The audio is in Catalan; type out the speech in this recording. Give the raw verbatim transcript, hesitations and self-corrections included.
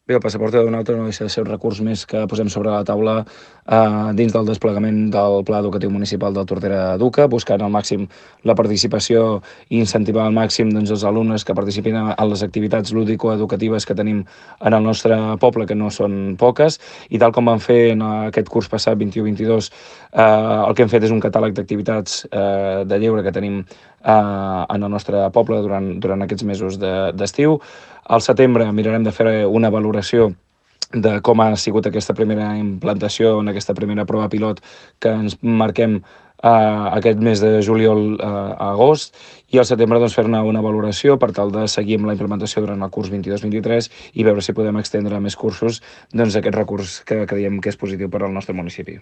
Bé, el passaport aeronàutic no deixa de ser un recurs més que posem sobre la taula eh, dins del desplegament del Pla Educatiu Municipal del Tordera Educa, buscant al màxim la participació i incentivar al màxim doncs, els alumnes que participin en les activitats lúdico-educatives que tenim en el nostre poble, que no són poques, i tal com vam fer en aquest curs passat vint-i-u vint-i-dos, eh, el que hem fet és un catàleg d'activitats eh, de lleure que tenim eh, en el nostre poble durant, durant aquests mesos d'estiu. De, al setembre mirarem de fer una valoració de com ha sigut aquesta primera implantació en aquesta primera prova pilot que ens marquem eh, aquest mes de juliol eh, a agost, i al setembre doncs, fer-ne una valoració per tal de seguir amb la implementació durant el curs vint-i-dos vint-i-tres i veure si podem extendre a més cursos doncs, aquest recurs que creiem que és positiu per al nostre municipi.